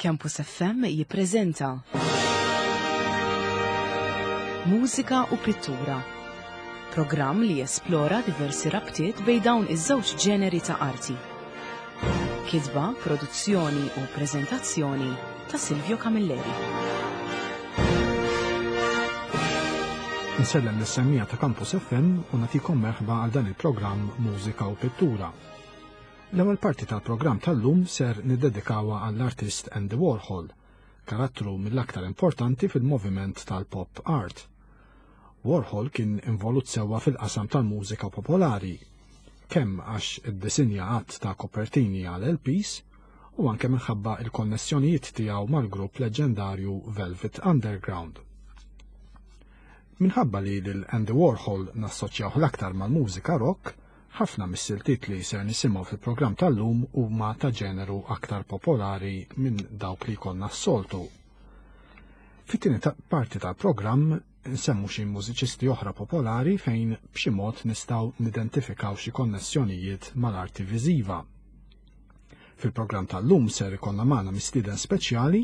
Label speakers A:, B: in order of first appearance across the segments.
A: Campus FM jippreżenta Mużika u Pittura. Programm li jesplora diversi rabtiet bejn dawn iż-żewġ ġeneri ta' arti. Kitba, produzzjoni u preżentazzjoni ta' Silvio Camilleri.
B: Insellem lis-semmija ta' Campus FM u nagħtikom merħba għal dan il-programm Mużika u Pittura. L-ewwel parti tal-programm tal-lum ser niddedikawha għall-artist Andy Warhol, karattru mill-aktar importanti fil-moviment tal-pop art. Warhol kien involut sewwa fil-qasam tal-mużika popolari, kemm għax iddisinja għadd ta' kopertini għal LPs u anke minħabba il-konnessjonijiet tiegħu mal-grupp leġġendarju Velvet Underground. Minħabba li lil Andy Warhol nassoċjawh l-aktar mal-mużika rock, ħafna mis-siltiet li ser nisimgħu fil-programm tal-lum huma ta' ġeneru aktar popolari minn dawk li jkollna s-soltu. Fit-tieni parti tal-programm nsemmu xi mużiċisti oħra popolari fejn b'xi mod nistgħu nidentifikaw xi konnessjonijiet mal-arti viżiva. Fil-programm tal-lum ser ikollna magħna mistieden speċjali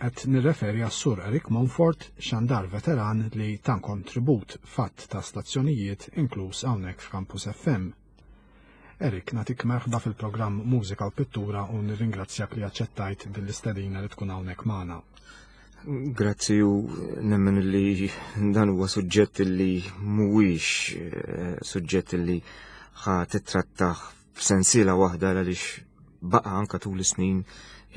B: qed nirreferi għas-Sur Eric Monfort, xandar veteran li ta kontribut fatt ta' stazzjonijiet inkluż hawnhekk f'Campus FM. Eric, natik merħba fil-programm Mużika u Pittura u nirringrazzjak li aċċettajt din l-istedina li tkun hawnhekk magħna.
C: Grazzi u nemmen li dan huwa suġġett li mhuwiex eh, suġġett li ħa titrattaħ f'sensiela waħda għaliex baqa' anka tul is-snin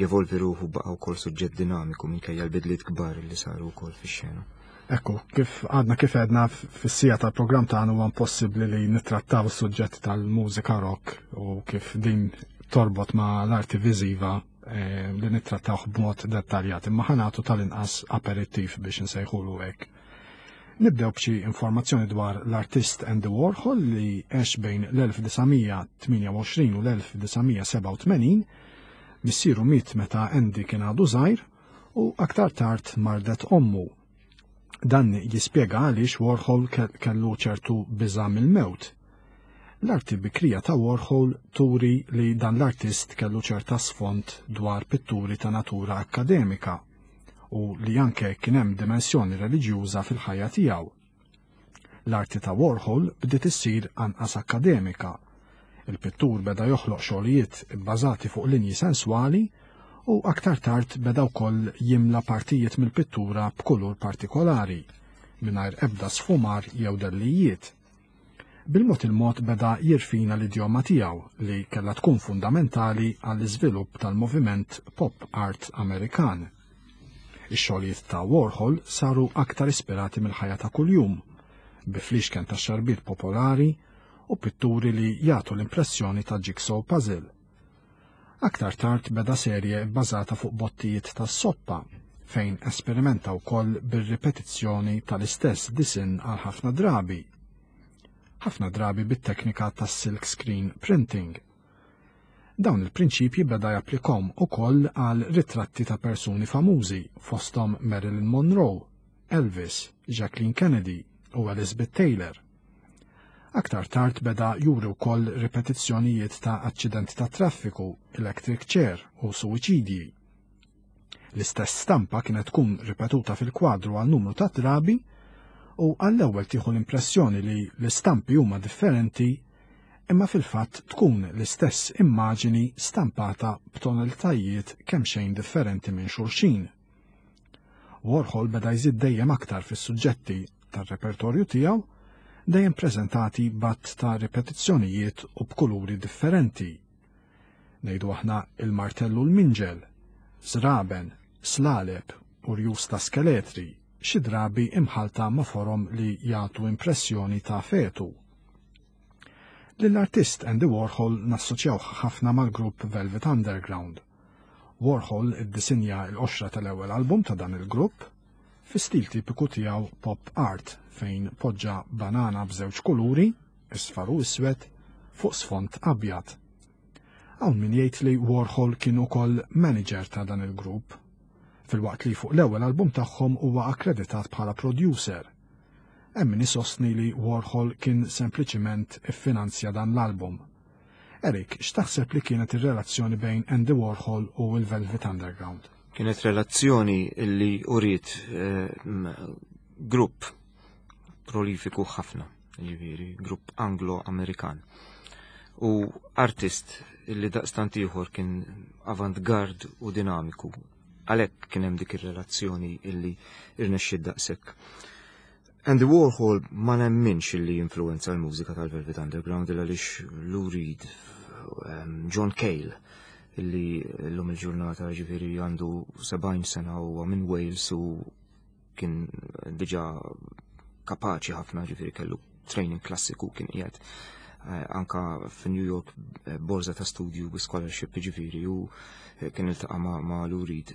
C: jevolvi ruħu baqa' wkoll suġġett dinamiku minkejja l-bidliet kbar li saru wkoll fix-xena.
B: Ekku, kif għadna kif għedna fis-sija tal-programm tagħna huwa impossibbli li nittrattaw is-suġġett tal-mużika rock u kif din torbot ma' l-arti viżiva eh, li nittrattawh b'mod dettaljat, imma ħanatu tal-inqas aperittiv biex nsejħulu hekk. Nibdew b'xi informazzjoni dwar l-artist Andy Warhol li għex bejn l-1928 u l-1987, missieru miet meta Andy kien għadu żgħir u aktar tard mardet ommu. Dan jispjega għaliex Warhol kellu ċertu biża' mill-mewt. L-arti bikrija ta' Warhol turi li dan l-artist kellu ċerta sfond dwar pitturi ta' natura akkademika u li anke kien hemm dimensjoni reliġjuża fil-ħajja tiegħu. L-arti ta' Warhol bdiet issir anqas akkademika. Il-pittur beda joħloq xogħlijiet ibbażati fuq linji senswali u aktar tard beda wkoll jimla partijiet mill-pittura b'kulur partikolari, mingħajr ebda sfumar jew dellijiet. Bil-mod il-mod beda jirfina l-idjoma tiegħu li kellha tkun fundamentali għall-iżvilupp tal-moviment pop art Amerikan. Ix-xogħlijiet ta' Warhol saru aktar ispirati mill-ħajja ta' kuljum, bi fliexken ta' xarbiet popolari u pitturi li jagħtu l-impressjoni ta' jigsaw puzzle. Aktar tard beda serje bbażata fuq bottijiet tas-soppa fejn esperimenta wkoll bir-ripetizzjoni tal-istess disinn għal ħafna drabi. Ħafna drabi bit-teknika tas-silk screen printing. Dawn il-prinċipji beda japplikhom ukoll għal ritratti ta' persuni famużi fosthom Marilyn Monroe, Elvis, Jacqueline Kennedy u Elizabeth Taylor. Aktar tard beda juri wkoll ripetizzjonijiet ta' aċċidenti ta' traffiku, electric chair u suwiċidji. L-istess stampa kienet tkun ripetuta fil-kwadru għal numru ta' drabi u għall-ewwel tieħu l-impressjoni li l-istampi huma differenti imma fil-fatt tkun l-istess immaġini stampata b'tonalitajiet kemxejn differenti minn xulxin. Warhol beda jżid dejjem aktar fis-suġġetti tar-repertorju tiegħu, dejjem preżentati b'għadd ta' ripetizzjonijiet u b'kuluri differenti. Ngħidu aħna il-martellu l-minġel, żraben, slaleb u rjus ta' skeletri, xi drabi imħalta ma' forom li jagħtu impressjoni ta' fetu. Lill-artist Andy Warhol nassoċjawh ħafna mal-grupp Velvet Underground. Warhol iddisinja l-qoxra tal-ewwel album ta' dan il-grupp fi stil tipiku tiegħu pop art fejn poġġa banana b'żewġ kuluri, isfar u iswed, fuq sfond abjad. Hawn min jgħid li Warhol kien ukoll manager ta' dan il-grupp, filwaqt li fuq l-ewwel album tagħhom huwa akkreditat bħala producer. Hemm min isostni li Warhol kien sempliċiment iffinanzja dan l-album. Eric, x'taħseb li kienet ir-relazzjoni bejn Andy Warhol u l-Velvet Underground?
C: Kienet relazzjoni illi uriet eh, grupp prolifiku ħafna, jiġifieri grupp Anglo-Amerikan. U artist illi daqstant ieħor kien avantgard u dinamiku. Għalhekk kien hemm dik ir-relazzjoni illi irnexxiet daqshekk. Andy Warhol ma nemminx illi influenza l-mużika tal-Velvet Underground illa għaliex Lou Reed, John Cale, illi l-lum il-ġurnata ġifiri għandu 70 sena u minn Wales u kien diġa kapaċi ħafna ġifiri kellu training klassiku kien qiegħed eh, anka fi New York eh, borza ta' studju bi scholarship ġifiri u eh, kien iltaqa' ma', ma Lou Reed.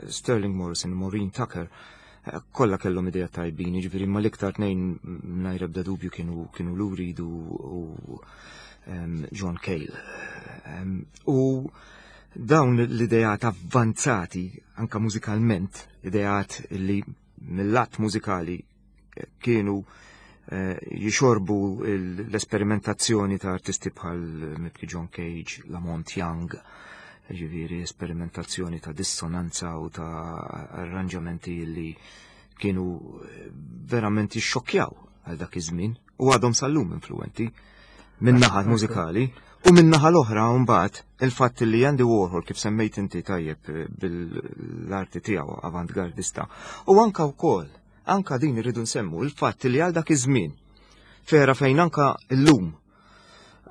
C: Sterling Morrison, Maureen Tucker, kollha kellhom idea tajbin, jiġifieri ma l-iktar tnejn mingħajr ebda dubju kienu kienu Lou Reed u John Cale. U dawn l-idejat avvanzati anka mużikalment, idejat li mill-lat mużikali kienu eh, jixorbu l-esperimentazzjoni ta' artisti bħal mibki John Cage, Lamont Young, ġiviri esperimentazzjoni ta' dissonanza u ta' arranġamenti li kienu eh, verament jixxokkjaw għal dak iż-żmien u għadhom sal-lum influenti minn naħa mużikali u minn naħa l-oħra mbagħad il-fatt li Andy Warhol kif semmejt inti tajjeb eh, bil-arti tiegħu avantgardista u anka wkoll anka din irridu nsemmu il-fatt li għal dak iż-żmien fera fejn anka llum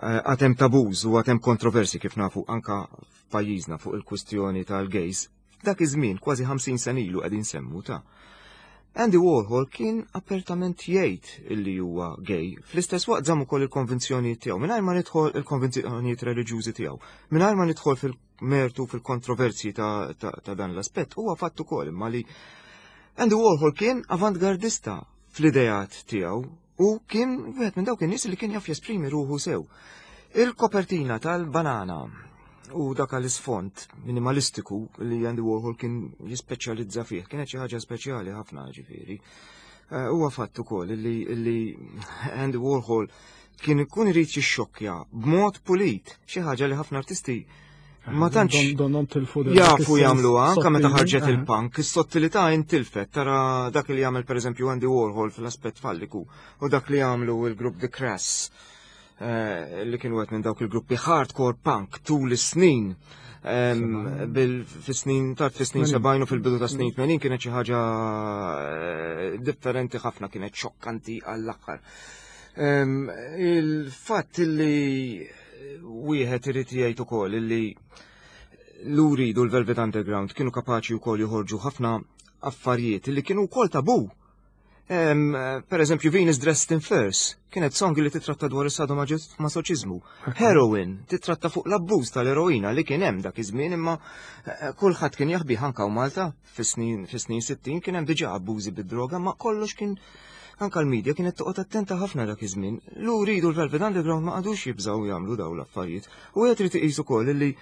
C: eh, għatem tabuż u għatem kontroversi kif nafu anka f'pajjiżna fuq il-kwistjoni tal-gays, dak iż-żmien kważi 50 sena ilu qegħdin semmu ta' Andy Warhol kien apertament jgħid illi huwa gay, fl-istess waqt żamm ukoll il-konvinzjonijiet tiegħu, mingħajr ma nidħol il-konvinzjonijiet reliġjużi tiegħu, mingħajr ma nidħol fil-mertu fil-kontroversji ta', ta, ta dan l-aspett, huwa fatt ukoll imma li Andy Warhol kien avantgardista fl-idejat tiegħu u kien wieħed minn dawk in-nies li kien jaf jesprimi ruħu sew. Il-kopertina tal-banana u dak l-isfond minimalistiku li Andy Warhol kien jispeċjalizza fih, kienet xi ħaġa speċjali ħafna ġifieri. Eh, huwa fatt ukoll li Andy Warhol kien ikun irid jixxokkja b'mod pulit, xi ħaġa li ħafna artisti ma tantx jafu jagħmluha anke meta ħarġet il-punk, is-sottilità intilfet tara dak li jagħmel pereżempju Andy Warhol fl-aspett falliku u dak li jagħmlu il-grupp The Crass eh, li kienu qed minn dawk il-gruppi hardcore punk tul is-snin fis-snin tard fis-snin 70 u fil-bidu ta' snin 80 kienet xi ħaġa eh, differenti ħafna kienet xokkanti għall-aħħar. Il-fatt li wieħed irid jgħid ukoll li Lou Reed u l-Velvet Underground kienu kapaċi wkoll joħorġu ħafna affarijiet li kienu wkoll tabu. Per eżempju, Venus Dressed in Furs kienet song li titratta dwar is-sadomasoċiżmu. Heroin titratta fuq l-abbuż tal-eroina li kien hemm dak iż-żmien imma eh, kulħadd kien jaħbih anka Malta fis-snin 60 kien hemm diġà abbużi bid-droga ma kollox kien anka l-medja kienet toqgħod attenta ħafna dak iż-żmien. Lou Reed u l-Velvet Underground ma qagħdux jibżgħu jagħmlu dawn l-affarijiet. U qed trid iqis ukoll li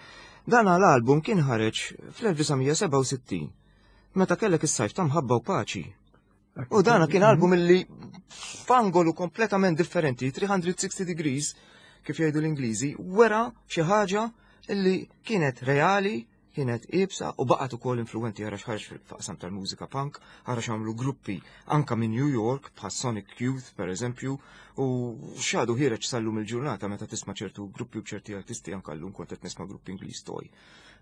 C: dan l-album kien ħareġ fl-1967 meta kellek is-sajf ta' mħabba u paċi. U dana kien album illi f'angolu kompletament differenti, 360 degrees, kif jgħidu l-Ingliżi, wera xi ħaġa illi kienet reali, kienet iebsa u baqgħet ukoll influwenti ara x'ħareġ fil-qasam tal-mużika punk, ara x'għamlu gruppi anka minn New York bħal Sonic Youth per eżempju u x'għadu ħireġ sal-lum il-ġurnata meta tisma' ċertu gruppi u ċerti artisti anka llum kont qed nisma' gruppi Ingliż Toy.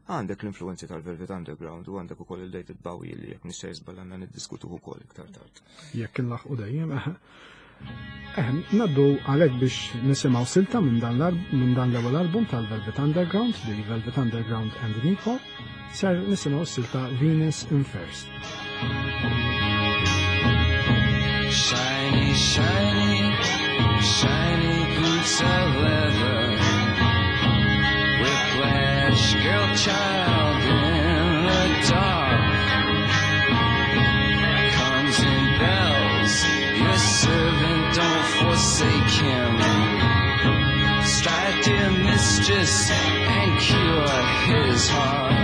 C: Għandek l-influenzi tal-Velvet Underground u għandek ukoll il-David Bowie li jekk nista' jiżbal għandna niddiskutuh ukoll iktar tard.
B: Jekk inlaħqu dejjem, eħe. Eh, naddu għalek biex nisimaw silta minn dan l-ewwel album tal-Velvet Underground, The Velvet Underground and Nico, ser nisimaw silta Venus in First. Shiny, shiny, shiny boots of leather Whiplash girl child in the dark Comes in bells Your servant don't forsake him Strike dear mistress and cure his heart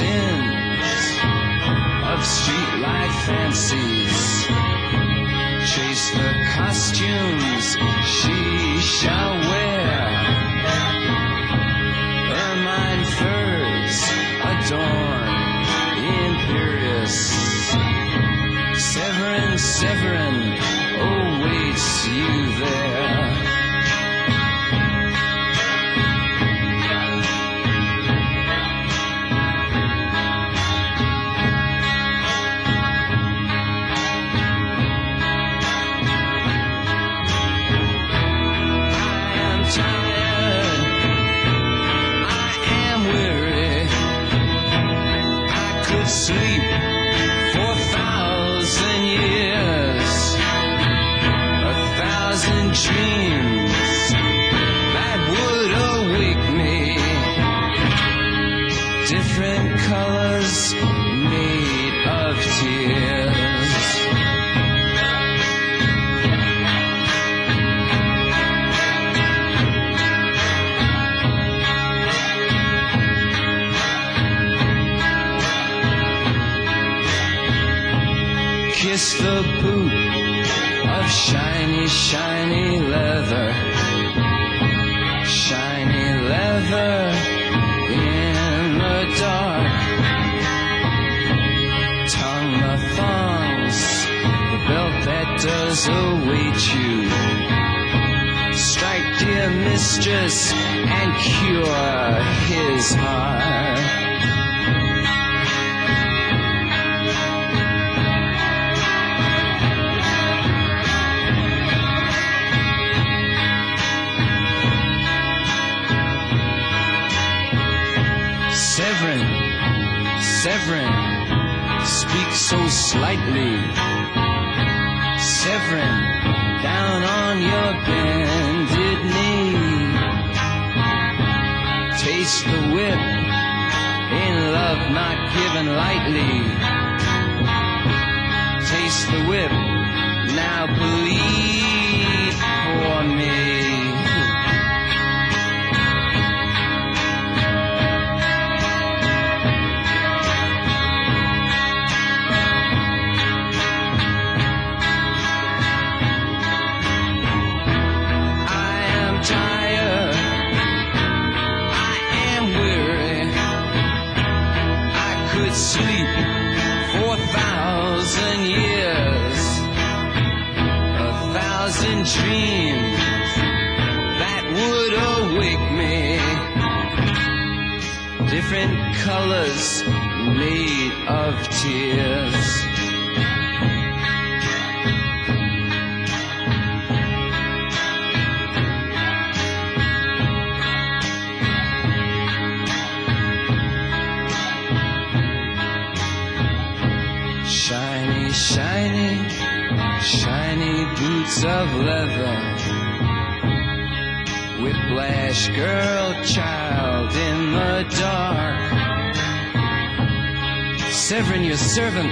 D: sins of streetlight fancies. Chase the costumes she shall wear. Ermine furs adorn imperious. Severin, Severin awaits you there. I am tired. I am weary. I could sleep for 1,000 years. 1,000 dreams that would awake me. Different colors made of tears. Kiss the boot of shiny, shiny leather. Shiny leather in the dark. Tongue the thongs, the belt that does await you. Strike, dear mistress, and cure his heart. Severin, Severin, speak so slightly. Severin, down on your bended knee. Taste the whip in love not given lightly. Taste the whip, now bleed for me. I am tired. I am weary. I could sleep for 1,000 years. 1,000 dreams that would awake me. Different colors made of tears. Shiny, shiny, shiny boots of leather. Whiplash girl, child in the dark. Severin, your servant,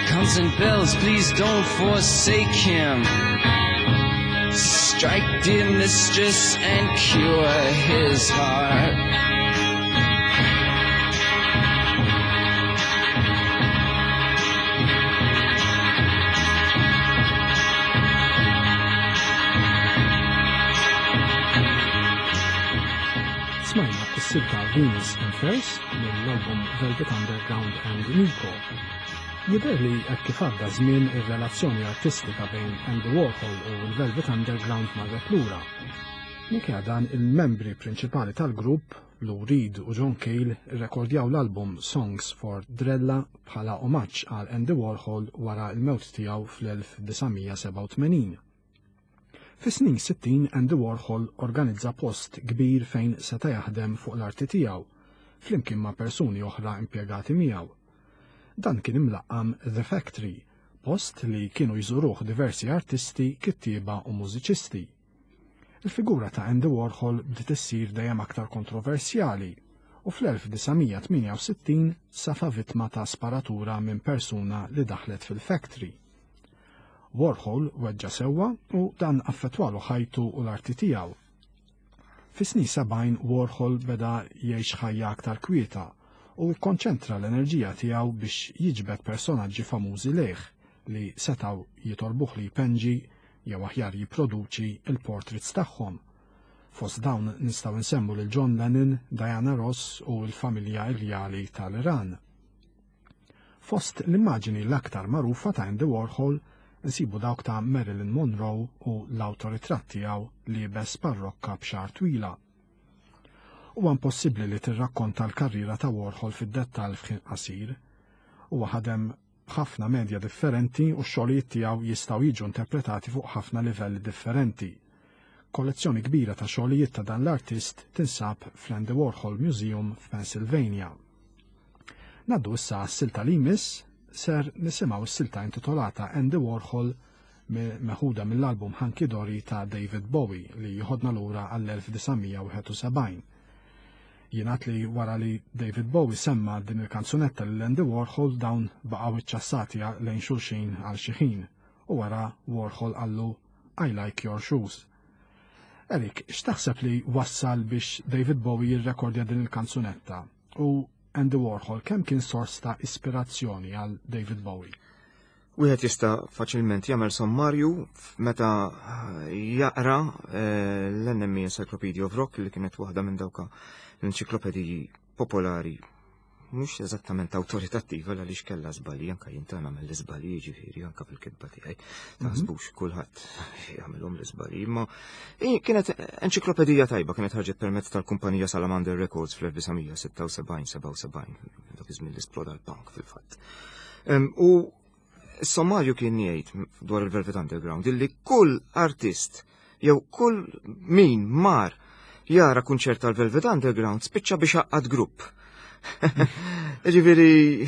D: comes and bells. Please don't forsake him. Strike, dear mistress, and cure his heart.
B: Smajna s-silta Venus in Furs mill-album Velvet Underground and Nico. Jidher li hekk kif għadda żmien ir-relazzjoni artistika bejn Andy Warhol u l-Velvet Underground marret lura. Minkejja dan, il-membri prinċipali tal-grupp, Lou Reed u John Cale, irrekordjaw l-album Songs for Drella bħala omaġġ għal Andy Warhol wara l-mewt tiegħu fl-1987. Fis-snin 60 Andy Warhol organizza post kbir fejn seta' jaħdem fuq l-arti tiegħu, flimkien ma' persuni oħra impjegati miegħu. Dan kien imlaqqam The Factory, post li kienu jżuruh diversi artisti, kittieba u mużiċisti. Il-figura ta' Andy Warhol bdiet issir dejjem aktar kontroversjali u fl-1968 safa vittma ta' sparatura minn persuna li daħlet fil-factory. Warhol weġġa' sewwa u dan affettwalu ħajtu u l-arti tiegħu. Fis-snin 70 Warhol beda jgħix ħajja aktar kwieta u kkonċentra l-enerġija tiegħu biex jiġbed personaġġi famużi lejh li setgħu jitolbuh li jpenġi jew aħjar jipproduċi l-portraits tagħhom. Fost dawn nistgħu nsemmu lil John Lennon, Diana Ross u l-familja Irjali tal-Iran. Fost l-immaġini l-aktar magħrufa ta' Andy Warhol nsibu dawk ta' Marilyn Monroe u l-awtoritratt tiegħu liebes parrokka b'xagħar twila. Huwa impossibbli li tirrakkonta l-karriera ta' Warhol fid-dettall f'ħin qasir. Huwa ħadem b'ħafna medja differenti u x-xogħlijiet tiegħu jistgħu jiġu interpretati fuq ħafna livelli differenti. Kollezzjoni kbira ta' xogħlijiet ta' dan l-artist tinsab fl-Andy Warhol Museum f'Pennsylvania. Naddu issa għas-silta li jmiss, ser nisimgħu s-silta intitolata Andy Warhol meħuda mill-album Hunky Dory ta' David Bowie li jħodna lura għall-1971. Jingħad li wara li David Bowie semma din il-kanzunetta lil Andy Warhol dawn baqgħu iċċassati lejn xulxin għal xi ħin u wara Warhol qallu I like your shoes. Erik, x'taħseb li wassal biex David Bowie jirrekordja din il-kanzunetta u Andy Warhol kemm kien sors ta' ispirazzjoni għal David Bowie?
C: Wieħed jista' faċilment jagħmel sommarju meta jaqra eh, l-NME Encyclopedia of Rock li kienet waħda minn dawka l-enċiklopediji popolari mhux eżattament awtoritattiva għaliex kellha żbalji anke jien ta' nagħmel l-iżbalji jiġifieri anke fil-kitba tiegħi. Mhm. Taħsbux kulħadd jagħmilhom l-iżbalji, imma kienet enċiklopedija tajba kienet ħarġet permezz tal-kumpanija Salamander Records fl-1976-77 dak iż-żmien li sploda l-punk fil-fatt. U s-sommarju kien jgħid dwar il-Velvet Underground illi kull artist jew kull min mar jara kunċert tal-Velvet Underground spiċċa biex għaqqad grupp. Ġifieri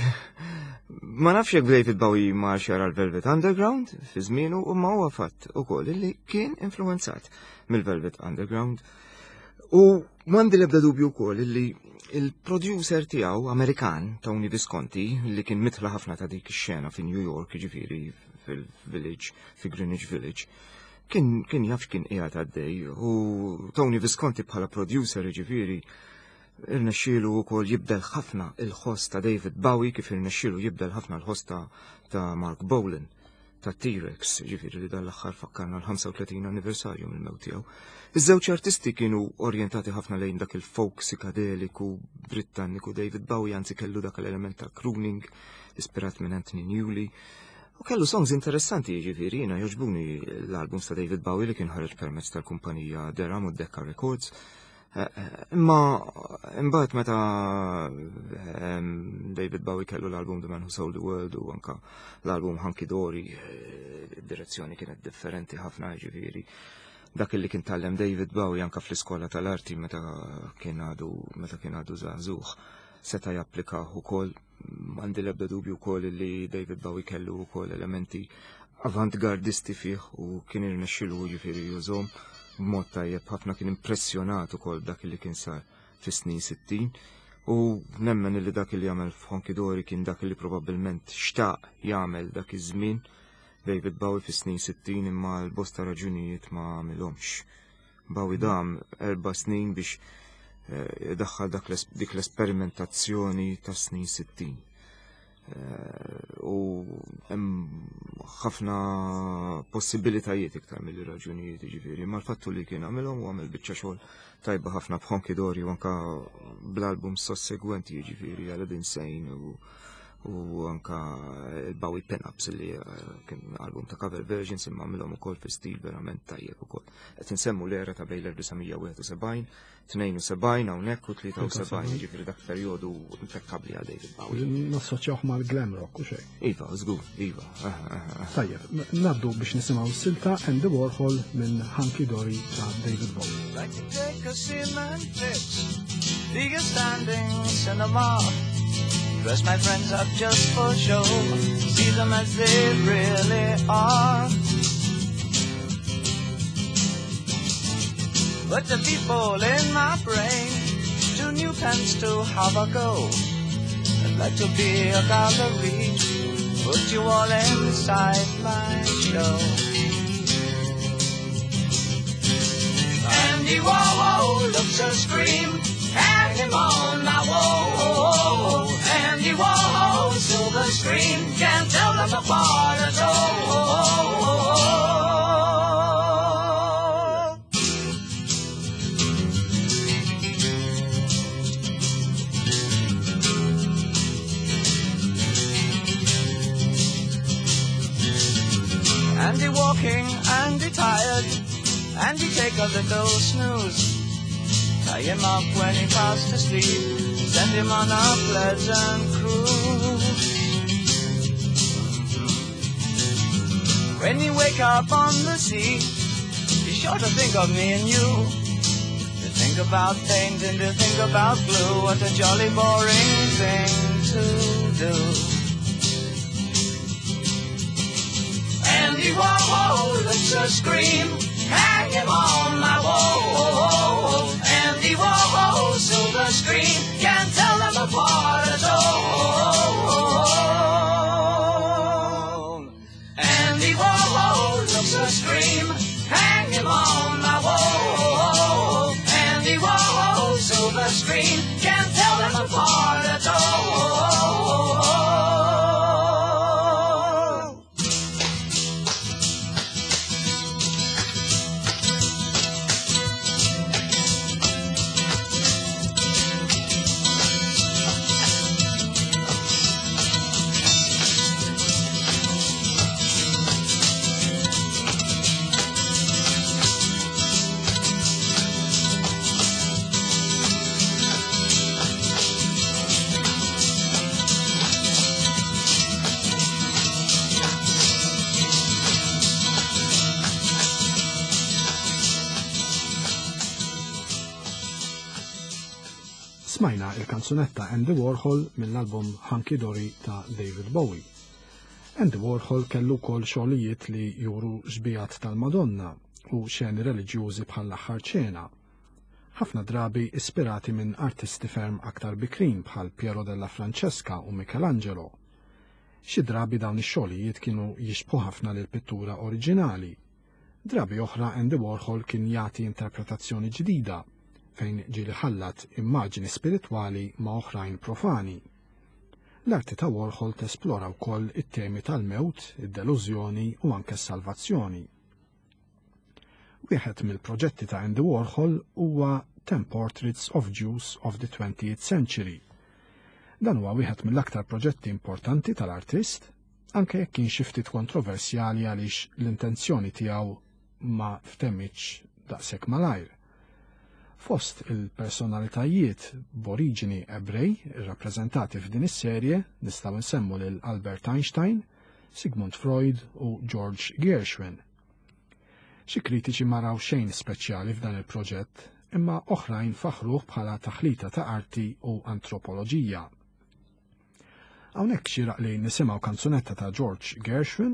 C: ma nafx jekk David Bowie mar jara l-Velvet Underground fi żmienu u ma huwa fatt ukoll illi kien influenzat mill-Velvet Underground. U m'għandi l-ebda dubju wkoll illi il-producer tiegħu Amerikan Tony Visconti li kien mitla ħafna ta' dik ix-xena fi New York, jiġifieri fil-Village, fi Greenwich Village, kien kien jaf kien qiegħed għaddej u Tony Visconti bħala producer jiġifieri irnexxielu wkoll jibdel ħafna il-ħoss ta' David Bowie kif irnexxielu jibdel ħafna l-ħoss ta' Mark Bolan ta' T-Rex, ġifieri li dan l-aħħar fakkarna l-35 anniversarju mill-mewt tiegħu. Iż-żewġ artisti kienu orjentati ħafna lejn dak il-folk psikadeliku Britanniku David Bowie anzi kellu dak l-element ta' crooning ispirat minn Anthony Newley. U kellu songs interessanti jiġifieri jiena jogħġbuni l-albums ta' David Bowie li kien ħareġ permezz tal-kumpanija Deram u Decca Records. Eh, eh, imma imbagħad meta ehm, David Bowie kellu l-album The Man Who Sold the World u anka l-album Hunky Dory, eh, id-direzzjoni kienet differenti ħafna ġifieri. Dak li kien tallem David Bowie anka fl-iskola tal-arti meta kien għadu meta kien għadu żagħżugħ seta' japplikah ukoll m'għandi l-ebda dubju wkoll li David Bowie kellu wkoll elementi avantgardisti fih u kien irnexxilu jiġifieri jużhom b'mod tajjeb ħafna kien impressjonat ukoll dak li kien sar fis-snin 60 u nemmen li dak li jagħmel f'Honky Dory kien dak li probabbilment xtaq jagħmel dak iż-żmien David Bowie fis-snin 60 imma l-bosta raġunijiet ma għamilhomx. Bowie dam erba' snin biex eh, daħħal dik l-esperimentazzjoni tas snin 60. Eh, u hemm ħafna possibilitajiet iktar mill raġunijiet ġifieri, ma l-fattu li kien għamilhom u għamel biċċa xogħol tajba ħafna b'Honky Dory u anka bl-album sossegwenti jiġifieri Aladdin Sane u u anka il-Bowie Pin-Ups li eh, kien album ta' cover versions imma għamilhom ukoll fi stil verament tajjeb ukoll. Qed insemmu l-era ta' bejn l-1971 72 hawnhekk u 73, jiġifieri dak perjodu impeccabli għal David Bowie.
B: Nassoċjawh mal-glam rock u xejn.
C: Iva, żgur, iva.
B: Tajjeb, naddu biex nisimgħu silta Andy Warhol minn Hunky Dory ta' David Bowie. Like to take a cement fix, be a standing cinema. Dress my friends up just for show, see them as they really are. But the people in my brain, two new pens to have a go. I'd like to be a gallery, put you all inside my show. Andy Warhol looks a scream, hang him on my wall.
D: them apart at all. Andy walking, Andy tired, Andy take a little snooze. Tie him up when he fast asleep, send him on a pleasant cruise. When you wake up on the sea, be sure to think of me and you. To think about paint and to think about blue, what a jolly boring thing to do. Andy Warhol looks a scream, hang him on my wall. Andy Warhol, silver screen, can't tell them apart at all. Andy Warhol looks a scream, hang him on my wall. Andy Warhol, silver screen, can't tell them apart at all.
B: Smajna il-kanzunetta Andy Warhol mill-album Hunky Dory ta' David Bowie. Andy Warhol kellu wkoll xogħlijiet li juru xbijat tal-Madonna u xeni reliġjużi bħall-aħħar ċena. Ħafna drabi ispirati minn artisti ferm aktar bikrin bħal Piero della Francesca u Michelangelo. Xi drabi dawn ix-xogħlijiet kienu jixbħu ħafna lil pittura oriġinali. Drabi oħra Andy Warhol kien jagħti interpretazzjoni ġdida fejn ġieli ħallat immaġini spiritwali ma' oħrajn profani. L-arti ta' Warhol tesplora wkoll it-temi tal-mewt, id-delużjoni u anke s-salvazzjoni. Wieħed mill-proġetti ta' Andy Warhol huwa Ten Portraits of Jews of the 20th Century. Dan huwa wieħed mill-aktar proġetti importanti tal-artist, anke jekk kien xi ftit kontroversjali għaliex l-intenzjoni tiegħu ma ftemmitx daqshekk malajr. Fost il-personalitajiet b'oriġini Ebrej irrappreżentati f'din is-serje nistgħu nsemmu lil Albert Einstein, Sigmund Freud u George Gershwin. Xi kritiċi ma raw xejn speċjali f'dan il-proġett, imma oħrajn faħruh bħala taħlita ta' arti u antropoloġija. Hawnhekk xieraq li nisimgħu kanzunetta ta' George Gershwin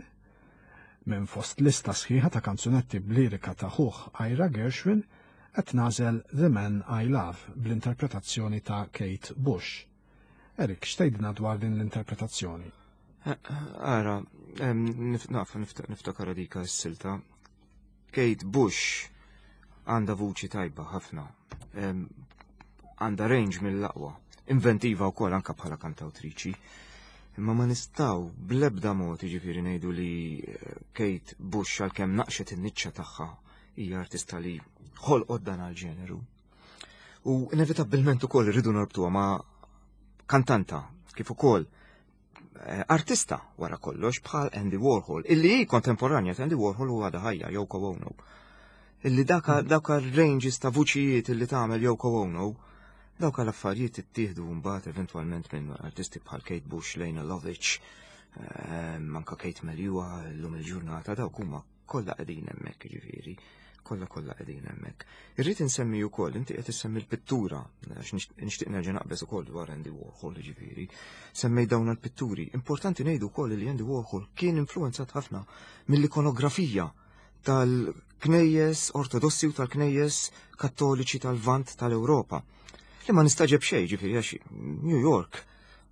B: minn fost lista sħiħa ta' kanzunetti b'lirika ta' ħuh Ira Gershwin qed nagħżel The Man I Love bl-interpretazzjoni ta' Kate Bush. Erik, x'tgħidilna dwar din l-interpretazzjoni?
C: Ara, naf niftakar dika s-silta. Kate Bush għandha vuċi tajba ħafna. Għandha range mill-aqwa. Inventiva wkoll anka bħala kantawtriċi. Imma ma nistaw bl-ebda mod jiġifieri ngħidu li eh, Kate Bush għalkemm naqxet in-niċċa tagħha hija artista li ħolqot dan għal-ġeneru. U inevitabbilment ukoll irridu norbtuha ma' kantanta kif ukoll Eh, artista wara kollox bħal Andy Warhol, illi hi kontemporanja ta' Andy Warhol u għadha ħajja Yoko Ono. Illi daka mm. daka ranges ta' vuċijiet illi tagħmel Yoko Ono, dawka l-affarijiet ittieħdu mbagħad eventwalment minn artisti bħal Kate Bush, Lena Lovich, eh, manka Kate Melua llum il-ġurnata dawk huma kollha qegħdin hemmhekk jiġifieri, kollha kollha qegħdin hemmhekk. Irrid insemmi wkoll, inti qed issemmi l-pittura, għax nixtieq nerġa' naqbeż ukoll dwar Andy Warhol jiġifieri. Semmej dawn il-pitturi. Importanti ngħidu wkoll li Andy Warhol kien influenzat ħafna mill-ikonografija tal-knejjes ortodossi u tal-knejjes kattoliċi tal-Vant tal-Ewropa. Li ma nistaġeb xejn ġifieri għax New York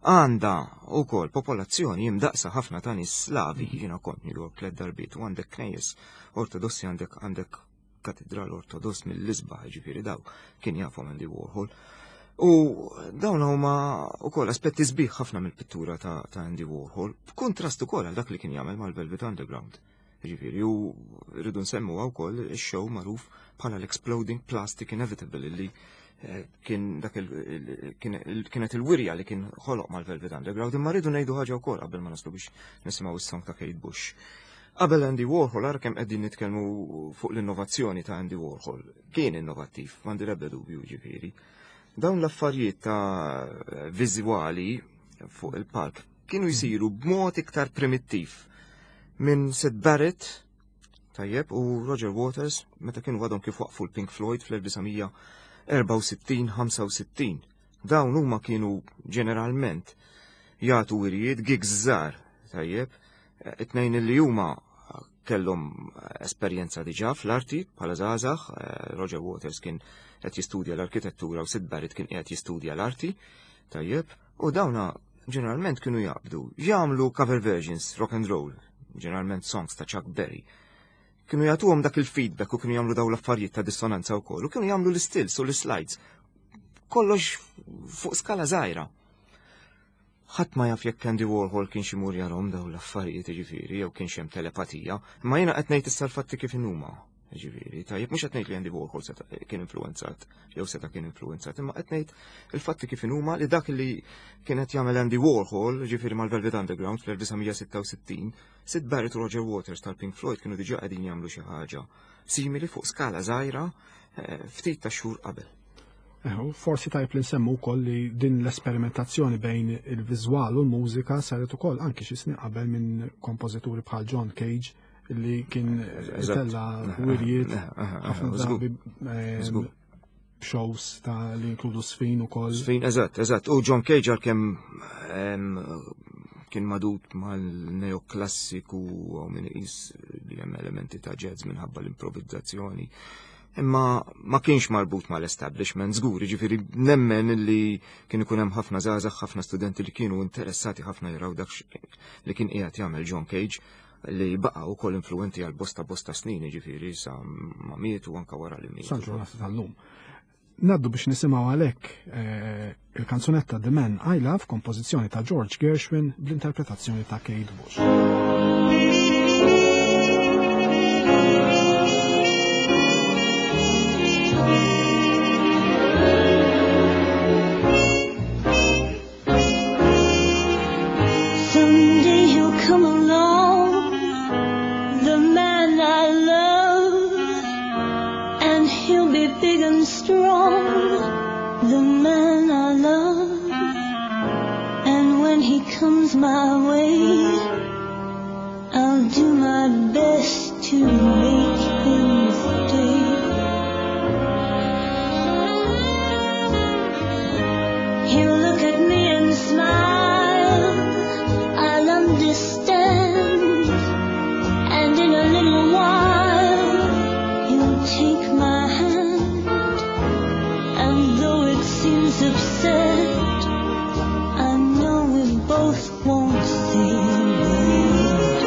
C: għandha wkoll popolazzjoni imdaqsa ħafna ta' nies Slavi, jiena kont New York tliet darbiet u għandek knejjes ortodossi għandek għandek katedral ortodoss mill-isbaħ ġifieri daw kien jafhom Andy Warhol. U dawn huma wkoll aspetti sbieħ ħafna mill-pittura ta', ta Andy Warhol, b'kuntrast ukoll għal dak li kien jagħmel mal-Velvet Underground. Ġifieri, u rridu nsemmu wkoll ix-show magħruf bħala l-Exploding Plastic Inevitable li eh, kien dak kienet il-wirja li kien ħoloq mal-Velvet Underground, imma rridu ngħidu ħaġa wkoll qabel ma naslu biex nisimgħu is-song ta' Kate Bush. Qabel Andy Warhol, ara kemm qegħdin nitkellmu fuq l-innovazzjoni ta' Andy Warhol. Kien innovattiv, m'għandi l-ebda dubju ġifieri. Dawn l-affarijiet ta' viżwali fuq il-palk kienu jsiru b'mod iktar primittiv minn Sid Barrett tajjeb u Roger Waters meta kienu għadhom kif waqfu l-Pink Floyd fl-1964-65. Dawn huma kienu ġeneralment jagħtu wirjiet gigs żgħar tajjeb, it-tnejn li huma kellhom esperjenza diġà fl-arti bħala żgħażagħ, eh, Roger Waters kien qed jistudja l-arkitettura u Sid Barrett kien qiegħed jistudja l-arti, tajjeb, u dawna ġeneralment kienu jaqbdu, jagħmlu cover versions rock and roll, ġeneralment songs ta' Chuck Berry. Kienu jagħtuhom dak il-feedback u kienu jagħmlu dawn l-affarijiet ta' dissonanza wkoll u kienu jagħmlu l-istills u l-slides. Kollox fuq skala żgħira. Ħadd ma jaf jekk Andy Warhol kienx imur jarahom dawn l-affarijiet jiġifieri jew kienx hemm telepatija, imma jiena qed ngħid issa l-fatti kif inhuma. Jiġifieri, tajjeb mhux qed ngħid li Andy Warhol seta' kien influwenzat jew seta' kien influwenzat, imma qed ngħid il-fatti kif inhuma li dak li kien qed jagħmel Andy Warhol, jiġifieri mal-Velvet Underground fl-1966, Sid Barrett u Roger Waters tal-Pink Floyd kienu diġà qegħdin jagħmlu xi ħaġa simili fuq skala żgħira eh, ftit ta' xhur qabel.
B: Forsi tajb li nsemmu wkoll li din l-esperimentazzjoni bejn il-viżwal u l-mużika saret ukoll anki xi snin qabel minn kompożituri bħal John Cage li kien tella wirjiet ħafna drabi ehm, shows ta' li inkludu sfin ukoll.
C: Sfin, eżatt, eżatt. U John Cage għalkemm ehm, kien madut mal-neoklassiku u minn iqis li hemm elementi ta' jazz minħabba l-improvizzazzjoni. Imma ma kienx marbut mal-establishment żgur, jiġifieri nemmen li kien ikun hemm ħafna żgħażagħ, ħafna studenti li kienu interessati ħafna jaraw dak li kien qiegħed jagħmel John Cage li baqa' wkoll influenti għal bosta bosta snin, jiġifieri sa ma miet u anke wara li miet.
B: Sal-ġurnata tal-lum. Naddu biex nisimgħu għalhekk eh, il-kanzunetta The Man I Love, kompożizzjoni ta' George Gershwin bl-interpretazzjoni ta' Kate Bush.
E: Someday he'll come along, the man I love, and he'll be big and strong, the man I love. And when he comes my way, I'll do my best to make him stay. He'll look at me and smile, I'll understand, and in a little while he'll take my hand, and though it seems absurd, I know we both won't say a word.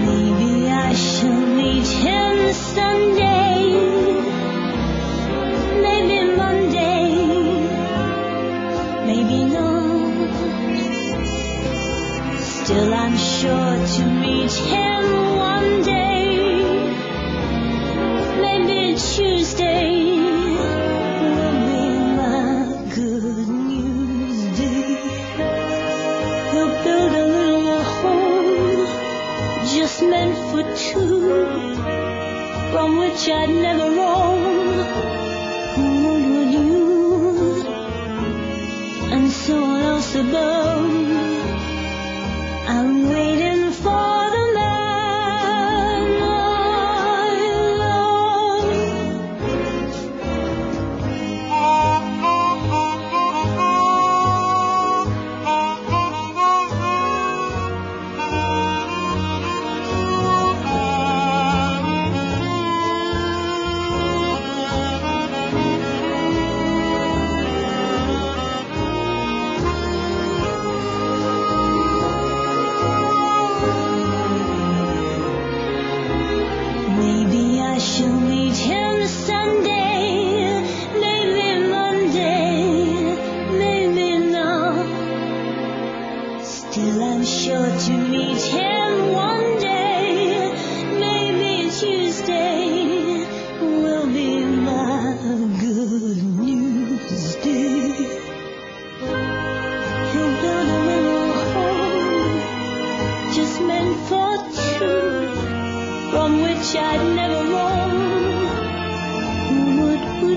E: Maybe I shall meet him Sunday, maybe Monday, maybe not. Still I'm sure to meet him one day, maybe Tuesday will be my good news day. He'll build a little home just meant for two, from which I'd never roam. What would you? And someone else above. I'm waiting for the man I love.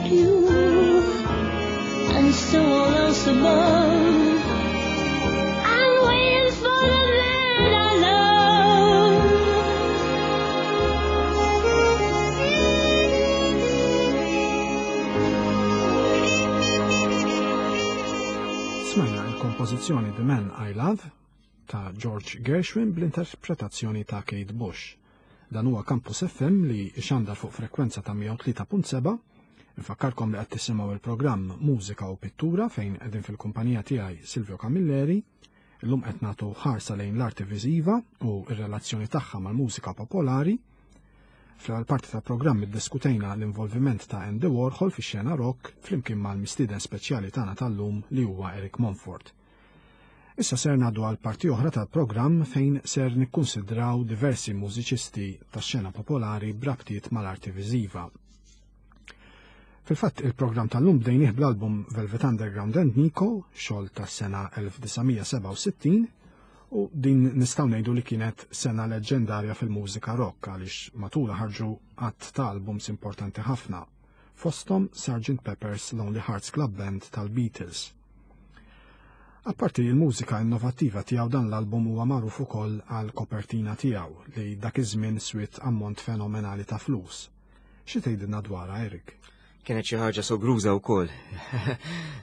E: you, and so all else above. I'm waiting for the man I love.
B: Smajna l-kompożizzjoni The Man I Love ta' George Gershwin bl-interpretazzjoni ta' Kate Bush. Dan huwa Campus FM li xandar fuq frekwenza ta' 103.7. Nfakkarkom li qed tisimgħu il-programm Mużika u Pittura fejn qegħdin fil-kumpanija tiegħi Silvio Camilleri. Illum qed nagħtu ħarsa lejn l-arti viżiva u r-relazzjoni tagħha mal-mużika popolari. Fl-ewwel parti tal-programm iddiskutejna l-involviment ta' Andy Warhol fix-xena rock flimkien mal-mistieden speċjali tagħna tal-lum li huwa Eric Monfort. Issa ser ngħaddu għal parti oħra tal-programm fejn ser nikkunsidraw diversi mużiċisti tax-xena popolari b'rabtiet mal-arti viżiva. Fil-fatt il-programm tal-lum bdejnih bl-album Velvet Underground and Nico, xogħol tas-sena 1967, u din nistgħu ngħidu li kienet sena leġġendarja fil-mużika rock għaliex matulha ħarġu għadd ta' albums importanti ħafna, fosthom Sgt. Pepper's Lonely Hearts Club Band tal-Beatles. Apparti l-mużika innovattiva tiegħu dan l-album huwa magħruf ukoll għal kopertina tiegħu li dak iż-żmien swiet ammont fenomenali ta' flus. Xi tgħidilna dwarha Eric?
C: Kienet xi ħaġa sogruża wkoll.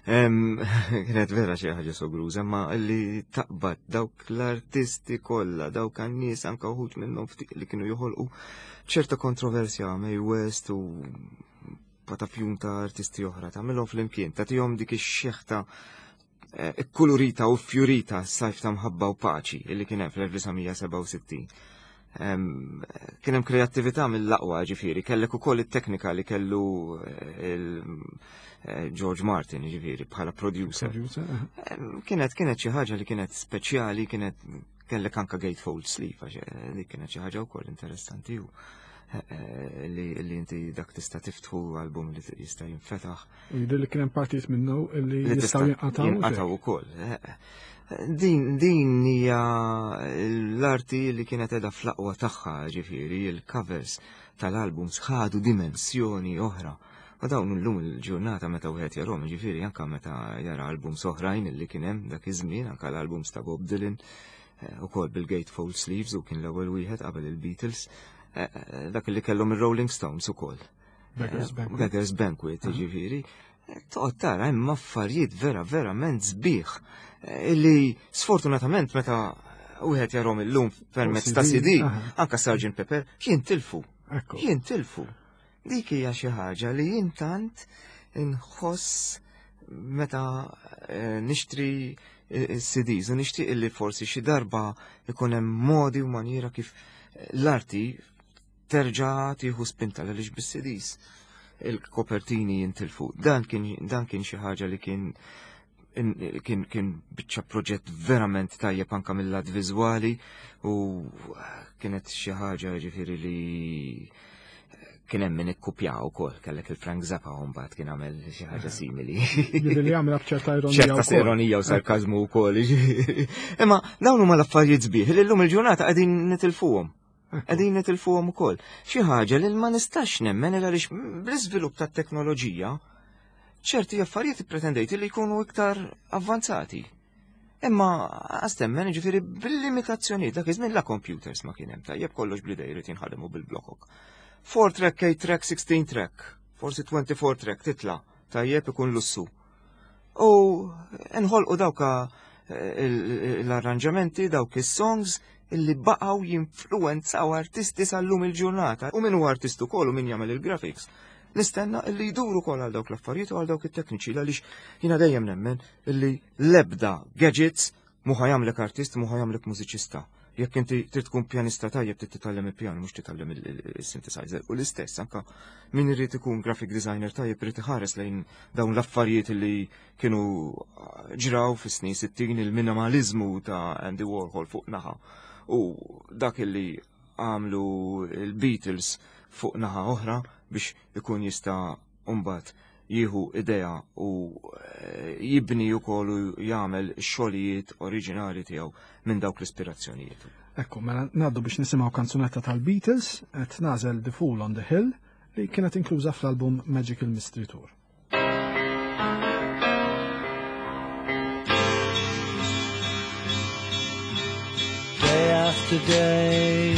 C: Kienet vera xi ħaġa sogruża, ma li taqbad dawk l-artisti kollha, dawk għan-nies anke wħud minnhom ftit li kienu joħolqu ċerta kontroversja Mae West u patafjun ta' artisti oħra, tagħmilhom flimkien, tagħtihom dik ix-xeħta eh, ikkulurita u fjurita s-sajf ta' mħabba u paċi illi kien hemm fl-1967. Kien hemm kreattività mill-aqwa ġifieri, kellek ukoll it-teknika li kellu eh, eh, George Martin ġifieri bħala producer. Kienet kienet xi ħaġa li kienet speċjali, kienet Kellek anka gatefold sleeve, għax eh, dik kienet xi ħaġa wkoll interessanti u eh, eh, li inti dak tista' tiftħu album li jista' jinfetaħ.
B: Jidher li kien hemm partijiet minnu li jistgħu jinqataw.
C: Jinqataw ukoll. Din din hija l-arti li kienet qiegħda fl-aqwa tagħha, ġifieri il-covers tal-albums ħadu dimensjoni oħra. U dawn illum il-ġurnata meta wieħed jarhom, ġifieri anke meta jara albums oħrajn li kien hemm dak iż-żmien, anke l-albums ta' Bob Dylan, eh, ukoll bil-gatefold sleeves u kien l-ewwel wieħed qabel il-Beatles, eh, eh, dak li kellhom ir-Rolling Stones ukoll.
B: Beggar's Banquet.
C: Beggar's Banquet, ġifieri. Toqgħod tara hemm affarijiet vera verament sbieħ illi sfortunatament meta wieħed jarhom illum permezz ta' CD, anka Sgt. Pepper, jintilfu. Jintilfu. Dik hija xi ħaġa li jien tant inħoss meta eh, nixtri eh, CDs u nixtieq li forsi xi darba ikun hemm modi u maniera kif eh, l-arti terġa' tieħu spinta għaliex bis-CDs il-kopertini jintilfu. Dan kien dan kien xi ħaġa li kien kien kien biċċa proġett verament tajjeb anka mill-lat viżwali u kienet xi ħaġa ġifieri li kien hemm min ikkupjaw ukoll kellek il-Frank Zappa u mbagħad kien għamel xi ħaġa simili.
B: Jidher li għamilha b'ċerta ironija.
C: ċerta ironija u sarkażmu wkoll. Imma dawn huma l-affarijiet sbieħ li llum il-ġurnata qegħdin nitilfuhom. Qegħdin nitilfuhom ukoll. Xi ħaġa li ma nistax nemmen għaliex bl-iżvilupp tat-teknoloġija ċerti affarijiet ippretendejt li jkunu iktar avvanzati. Imma għastemmen ġifieri bil-limitazzjonijiet dak iż-żmien la computers ma kien hemm tajjeb kollox bl-idej irid jinħademu bil-blokok. 4 track, 8 track, 16 track, forsi 24 track titla' tajjeb ikun lussu. U nħolqu dawka eh, l-arranġamenti, dawk is-songs illi baqgħu jinfluwenzaw artisti sal-lum il-ġurnata. U min huwa artist ukoll u min jagħmel il-graphics. Nistenna illi jduru ukoll għal dawk l-affarijiet u għal dawk it-tekniċi għaliex jiena dejjem nemmen illi l-ebda gadgets Mhu ħa jagħmlek artist, mhu ħa jagħmlek mużiċista. Jekk inti trid tkun pjanista tajjeb trid titgħallem il-pjanu mhux titgħallem il-synthesizer. U l-istess anka min irid ikun graphic designer tajjeb irid iħares lejn dawn l-affarijiet li kienu ġraw fis-snin 60 il-minimaliżmu ta' Andy Warhol fuq naħa u dak li għamlu il-Beatles fuq naħa oħra biex ikun jista' mbagħad jieħu idea u eh, jibni wkoll u jagħmel xogħlijiet oriġinali tiegħu minn dawk l-ispirazzjonijiet.
B: Ekku, mela ngħaddu biex nisimgħu kanzunetta tal-Beatles qed nażel The Fool on the Hill li kienet inkluża fl-album Magical Mystery Tour.
F: Day after day,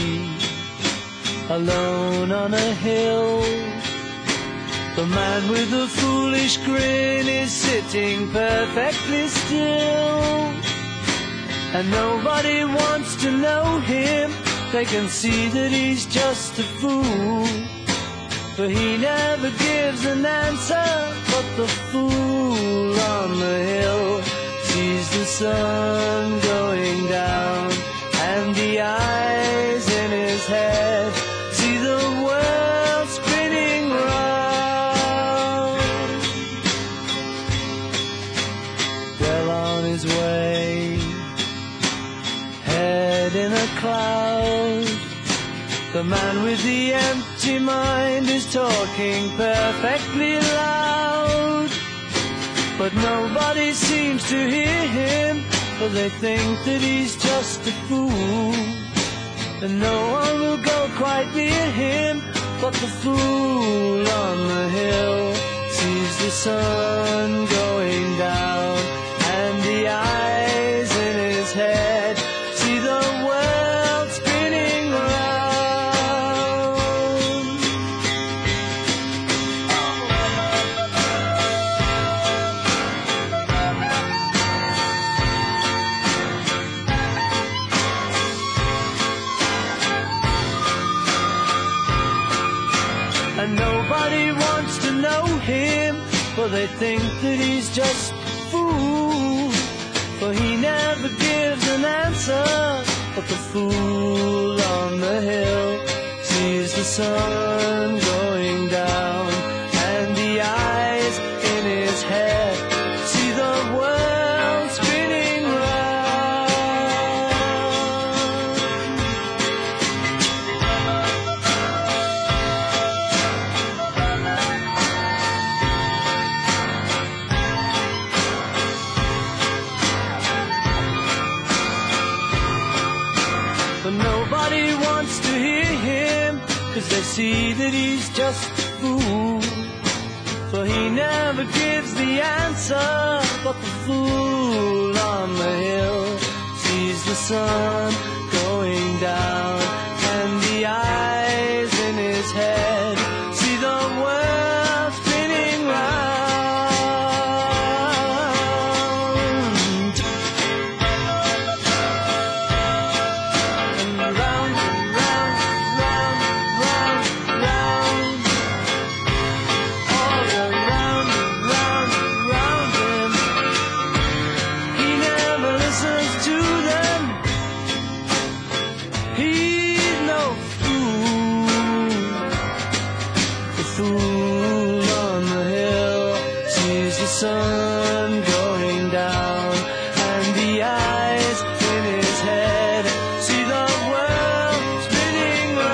F: alone on a hill, the man with the foolish grin is sitting perfectly still. And nobody wants to know him, they can see that he's just a fool. For he never gives an answer, but the fool on the hill sees the sun going down, and the eyes in his head see the world spinning round. Well on his way, head in a cloud, the man with the empty mind is talking perfectly loud. But nobody seems to hear him, for they think that he's just a fool. And no one will go quite near him, but the fool on the hill sees the sun going down, and the eyes in his head see the world spinning round. And nobody wants to know him, for they think that he's just a fool. For he never gives an answer, but the fool on the hill sees the sun going down, and the eyes in his head see the world spinning round. But nobody wants to hear him, because they see that he's just a fool. For he never gives the answer, but the fool on the hill sees the sun going down, and the eyes in his head see the world spinning round. And round and round, round, round, round. All around and round and round him. He never listens to them. He's no fool. The fool on the hill sees the sun going down, and the eyes in his head see the world spinning round.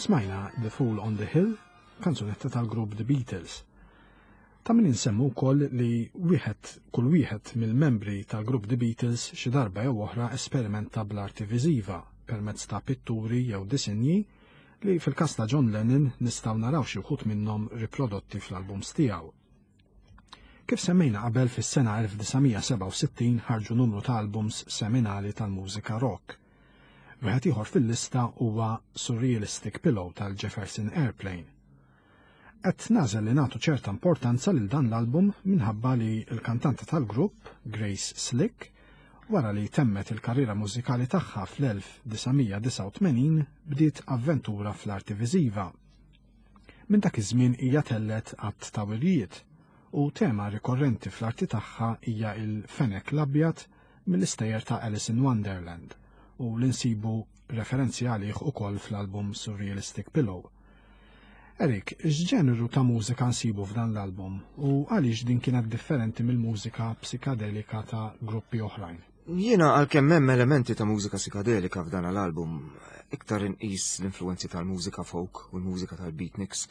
B: Smajna The Fool on the Hill, kanzunetta tal-grupp The Beatles. Ta' min insemmu wkoll li wieħed kull wieħed mill-membri tal-grupp The Beatles xi darba jew oħra esperimenta bl-arti viżiva permezz ta' pitturi jew disinji li fil-każ ta' John Lennon nistgħu naraw xi wħud minnhom riprodotti fl-albums tiegħu. Kif semmejna qabel, fis-sena 1967 ħarġu numru ta' albums seminali tal-mużika rock. Wieħed ieħor fil-lista huwa Surrealistic Pillow tal-Jefferson Airplane. Qed nagħżel li nagħtu ċerta importanza lil dan l-album minħabba li l-kantanta tal-grupp, Grace Slick, wara li temmet il-karriera mużikali tagħha fl-1989 bdiet avventura fl-arti viżiva. Minn dak iż-żmien hija tellet għadd ta' wirjiet u tema rikorrenti fl-arti tagħha hija il-fenek l-abjad mill-istejjer ta' Alice in Wonderland u li nsibu referenzi għalih ukoll fl-album Surrealistic Pillow. Erik, x'ġeneru ta' mużika nsibu f'dan l-album u għaliex din kienet differenti mill-mużika psikadelika ta' gruppi oħrajn?
C: Jiena għalkemm hemm elementi ta' mużika psikadelika f'dan l-album, iktar inqis l-influenzi tal-mużika folk u l-mużika tal-beatniks.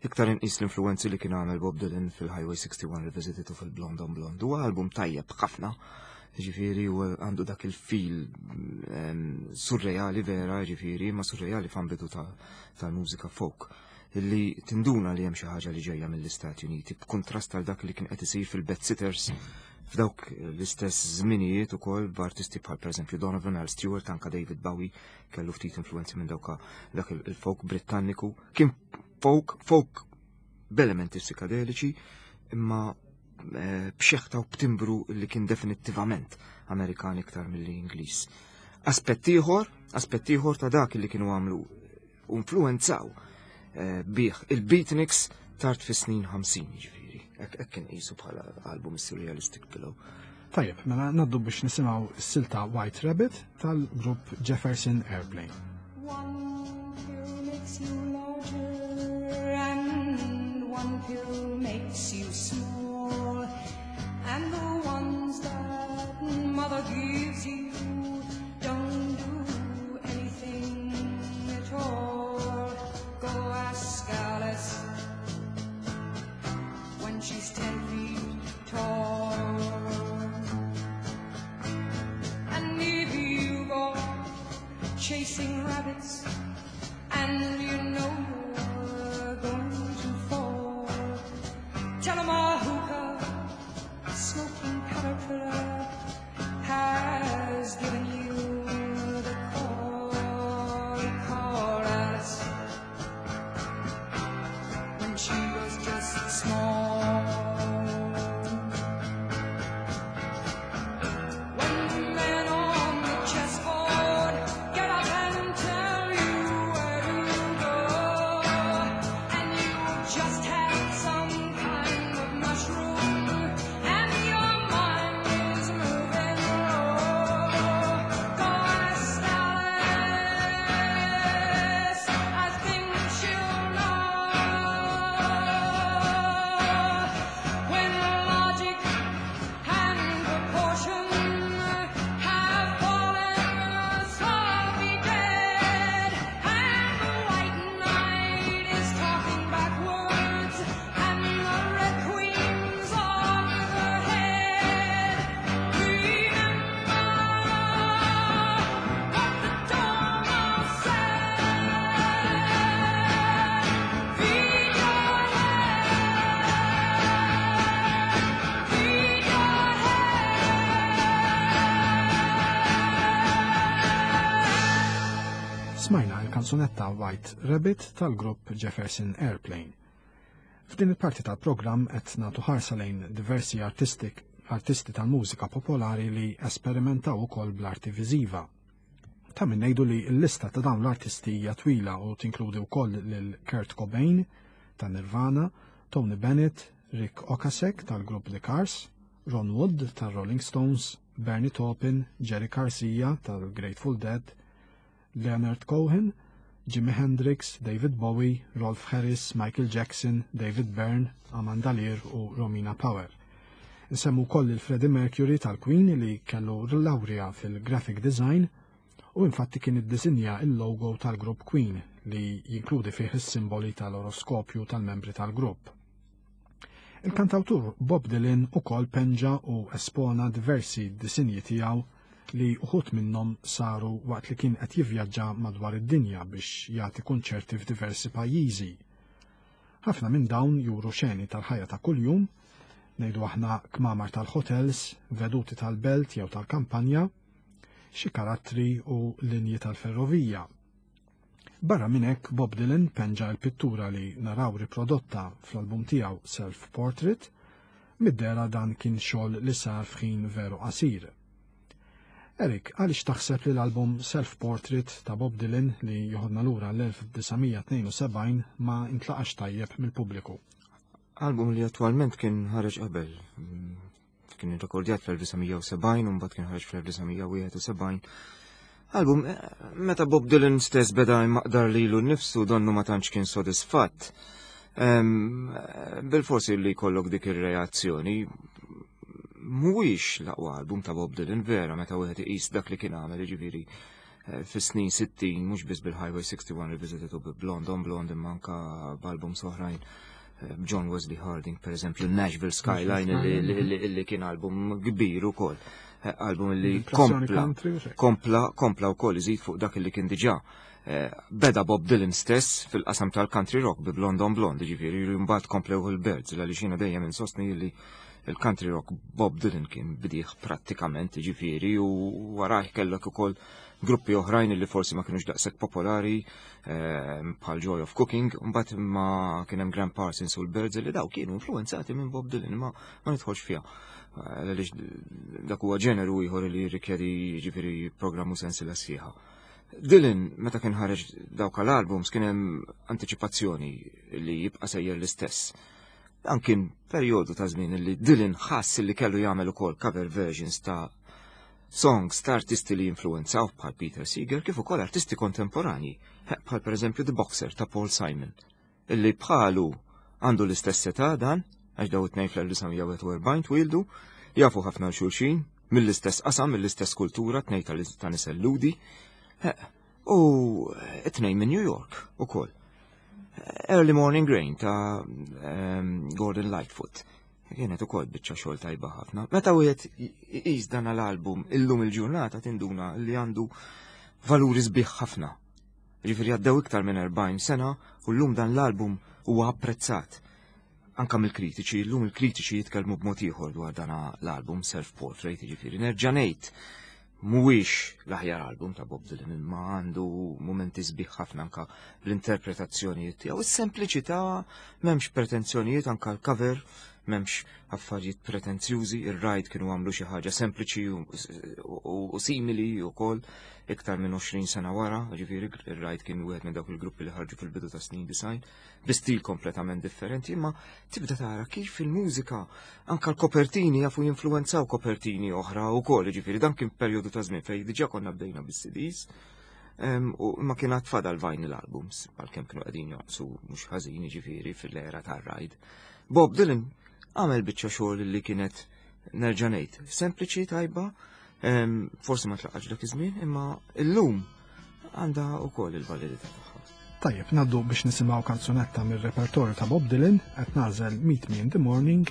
C: Iktar inqis l-influenzi li kien għamel Bob Dylan fil-Highway 61 Revisited u fil-Blonde on Blonde. Huwa album tajjeb ħafna, ġifieri u għandu dak il-fil surreali vera, ġifieri, ma surreali f'ambitu tal-mużika folk illi tinduna li hemm xi ħaġa li ġejja mill-Istati Uniti b'kuntrast għal dak li kien qed isir fil-Bedsitters f'dawk l-istess żminijiet ukoll b'artisti bħal pereżempju Donovan Al Stewart anka David Bowie kellu ftit influenzi minn dawk dak il-folk Britanniku. Kien folk, folk b'elementi psikadeliċi, imma eh, b'xeħta u b'timbru li kien definittivament Amerikan iktar milli Ingliż. Aspett ieħor, aspett ieħor ta' dak li kienu għamlu u influenzaw eh, bih il-beatniks tard fis-snin 50 ġifieri. Hekk kien qisu bħala album Surrealistic Pillow.
B: Tajjeb, mela naddu biex nisimgħu s-silta White Rabbit tal-grupp Jefferson Airplane. One pill makes you larger and one pill makes you small and the ones that mother gives you don't do anything at all. Go ask Alice when she's ten feet tall. And if you go chasing rabbits and you know you're going to fall, tell 'em a hookah smoking caterpillar has given you the call. Call Alice when she was just small. When the men on the chessboard get up and tell you where to go, and you just had some kind of mushroom, and your mind is moving low. Go ask Alice, I think she'll know. When logic and proportion have fallen softly dead, and the white knight is talking backwards, and the red queen's off with her head. Remember what the dormouse said. Feed your head. Feed your Smajna il-kanzunetta White Rabbit tal-grupp Jefferson Airplane. F'din il-parti tal-programm qed nagħtu ħarsa lejn diversi artistik artisti tal-mużika popolari li esperimentaw ukoll bl-arti viżiva. Ta' min ngħidu li l-lista ta' dawn l-artisti hija twila u tinkludi wkoll lil Kurt Cobain ta' Nirvana, Tony Bennett, Rick Ocasek tal-grupp The Cars, Ron Wood tal-Rolling Stones, Bernie Taupin, Jerry Garcia tal-Grateful Dead, Leonard Cohen, Jimi Hendrix, David Bowie, Rolf Harris, Michael Jackson, David Byrne, Amanda Lear u Romina Power. Nsemmu koll il-Freddie Mercury tal-Queen li kellu laurea fil-graphic design u infatti kien iddisinja il-logo tal-grupp Queen li jinkludi fih is-simboli tal-oroskopju tal-membri tal-grupp. Il-kantawtur Bob Dylan ukoll penġa u espona diversi disinji tiegħu li uħut minnhom saru waqt li kien qed jivvjaġġa madwar id-dinja biex jagħti kunċerti f'diversi pajjiżi. Ħafna minn dawn juru xeni tal-ħajja ta' kuljum, ngħidu aħna kmamar tal-hotels, veduti tal-belt jew tal-kampanja, xi karattri u linji tal-ferrovija. Barra minn hekk Bob Dylan penġa l-pittura li naraw riprodotta fl-album tiegħu Self Portrait, mid-dera dan kien xogħol li sar f'ħin veru qasir. Erik, għaliex taħseb li l-album Self Portrait ta' Bob Dylan li joħodna lura l-1972 ma intlaqax tajjeb mill-pubbliku?
C: Album li attwalment kien ħareġ qabel. Kien irrekordjat fl-1970 u mbagħad kien ħareġ fl-1971. Album, eh, meta Bob Dylan stess beda jmaqdar lilu nnifsu donnu ma tantx kien sodisfatt. Bil-forsi li jkollok dik ir-reazzjoni mhuwiex l-aqwa album ta' Bob Dylan vera meta wieħed iqis dak li kien għamel jiġifieri. fis-snin 60 mhux biss bil-Highway 61 Revisited u Blonde on Blonde imma anka b'album oħrajn eh, John Wesley Harding per eżempju Nashville Skyline li kien album kbir ukoll. Eh, album li kompla kompla kompla wkoll iżid fuq dak li kien diġà. Eh, beda Bob Dylan stess fil-qasam tal-country rock bi Blonde on Blonde, ġifieri mbagħad komplew il-Birds għaliex jiena dejjem insostni li il-country rock Bob Dylan kien bidih prattikament ġifieri u warajh kellek ukoll gruppi oħrajn li forsi ma kienux daqshekk popolari ehm, bħal Joy of Cooking, mbagħad ma kien hemm Graham Parsons u l-Birds li daw kienu influenzati minn Bob Dylan ma ma nidħolx fiha. Eh, għaliex dak huwa ġeneru ieħor li jirrikjedi ġifieri programm u sensila sħiħa. Dylan, meta kien ħareġ dawk l-albums, kien hemm antiċipazzjoni li jibqa' sejjer l-istess. Dan kien perjodu ta' żmien li Dylan ħass li kellu jagħmel ukoll cover versions ta' songs ta' artisti li influenzaw bħal Peter Seeger kif ukoll artisti kontemporanji, bħal pereżempju The Boxer ta' Paul Simon, illi bħalu għandu l-istess età dan, għax daw it-tnejn fl-1941 twildu, jafu ħafna xulxin, mill-istess qasam, mill-istess kultura, tnejn ta' nisel Ludi, u it-tnejn minn New York ukoll. Early Morning Rain ta' Gordon Lightfoot. Kienet ukoll biċċa xogħol tajba ħafna. Meta wieħed iqis dan l-album illum il-ġurnata tinduna li għandu valuri sbieħ ħafna. Ġifieri għaddew iktar minn 40 sena u llum dan l-album huwa apprezzat. Anka mill-kritiċi, llum il-kritiċi jitkellmu b'mod ieħor dwar dan l-album Self Portrait, ġifieri nerġa' ngħid mhuwiex l-aħjar album ta' Bob Dylan imma għandu mumenti sbieħ ħafna anka bl-interpretazzjonijiet tiegħu. Is-sempliċità m'hemmx pretenzjonijiet anka l-cover m'hemmx affarijiet pretenzjużi, ir-rajt kienu għamlu xi ħaġa sempliċi u simili wkoll iktar minn 20 sena wara, ġifieri ir-rajt kien wieħed minn dawk il-gruppi li ħarġu fil-bidu ta' snin design bi stil kompletament differenti, imma tibda tara kif il-mużika anka l-kopertini jafu jinfluwenzaw kopertini oħra u kol, ġifiri dan kien perjodu ta' żmien fej diġà konna bdejna bis-CDs, u ma kien għad fadal vinyl albums, għalkemm kienu qegħdin joqsu mhux ħażin ġifieri fil-era tar-rajd. Bob Dylan għamel biċċa xogħol li kienet nerġa' ngħid, sempliċi tajba, forsi ma tlaqax dak iż-żmien, imma illum għandha wkoll il-validità tagħha.
B: Tajjeb, naddu biex nisimgħu kanzunetta mir-repertorju ta' Bob Dylan qed nagħżel Meet Me in the Morning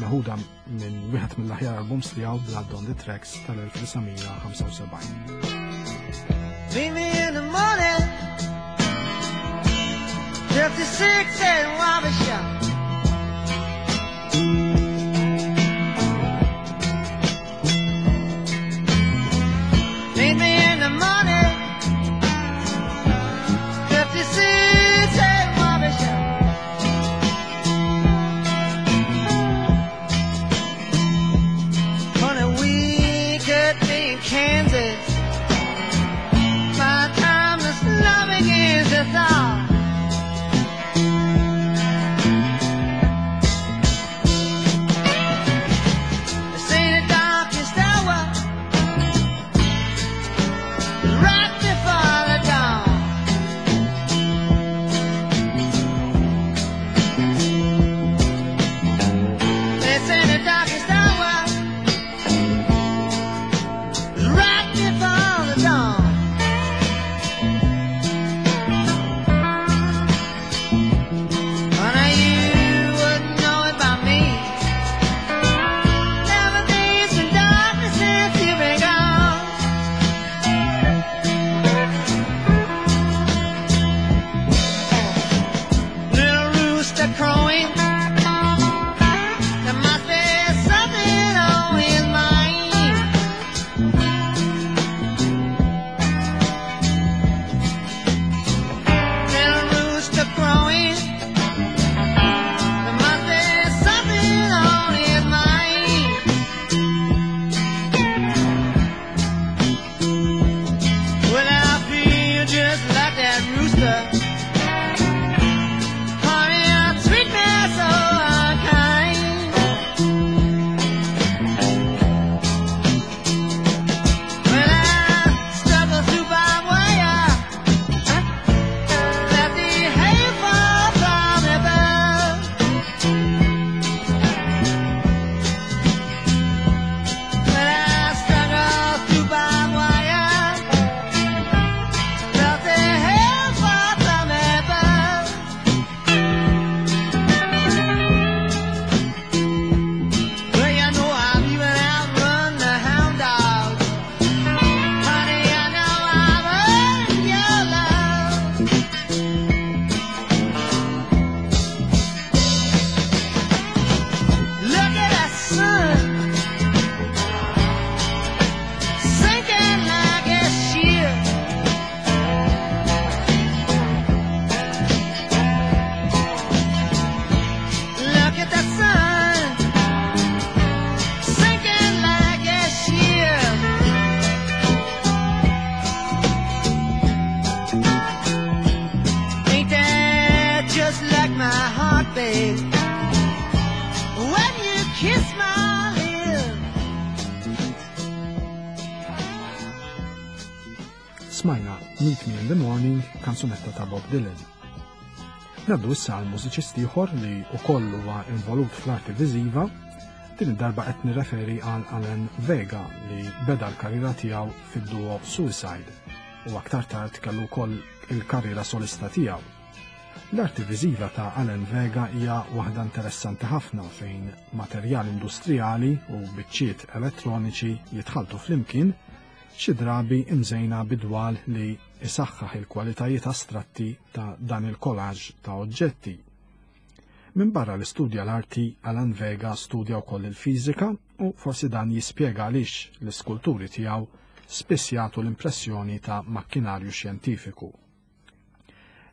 B: meħuda minn wieħed mill-aħjar albums tiegħu Blood on the Tracks tal-1975.
D: Meet me in the morning 56 and Wabasha Meet me in the morning 56 and Wabasha Funny we could be in Kansas By the time the snow begins to thaw This ain't the darkest hour right before the dawn. This ain't the darkest hour right before the dawn.
B: Smajna Meet Me in the Morning, kanzunetta ta' Bob Dylan. Naddu issa għal mużiċist ieħor li wkoll huwa involut fl-arti viżiva, din id-darba qed nirreferi għal Alan Vega li beda l-karriera tiegħu fid-duo Suicide u aktar tard kellu wkoll il-karriera solista tiegħu. L-arti viżiva ta' Alan Vega hija waħda interessanti ħafna fejn materjal industrijali u biċċiet elettroniċi jitħalltu flimkien xi drabi imżejna bidwal li isaħħaħ il-kwalitajiet astratti ta' dan il-collage ta' oġġetti. Minn barra li studja l-arti, Alan Vega studja wkoll il-fiżika u forsi dan jispjega għaliex l-iskulturi tiegħu spiss jagħtu l-impressjoni ta' makkinarju xjentifiku.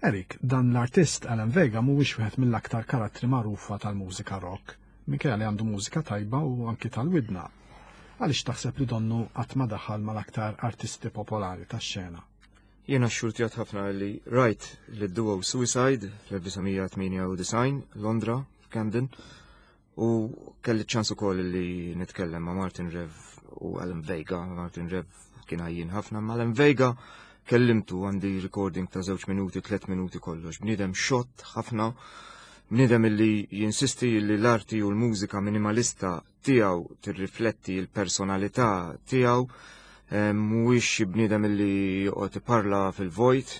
B: Eric, dan l-artist Alan Vega mhuwiex wieħed mill-aktar karattri magħrufa tal-mużika rock, minkejja li għandu mużika tajba u anki tal-widna. Għaliex taħseb li donnu qatt ma daħal mal-aktar artisti popolari tax-xena?
C: Jiena xxurtjat ħafna li rajt li duo Suicide fl-1998 Londra, Camden, u kelli ċans ukoll li nitkellem ma' Martin Rev u Alan Vega. Martin Rev kien għajjin ħafna, ma' Alan Vega kellimtu għandi recording ta' żewġ minuti, tliet minuti kollox. Bniedem xott ħafna, bniedem li jinsisti li l-arti u l-mużika minimalista tiegħu tirrifletti l-personalità tiegħu, mhuwiex xi bniedem li joqgħod iparla fil-vojt,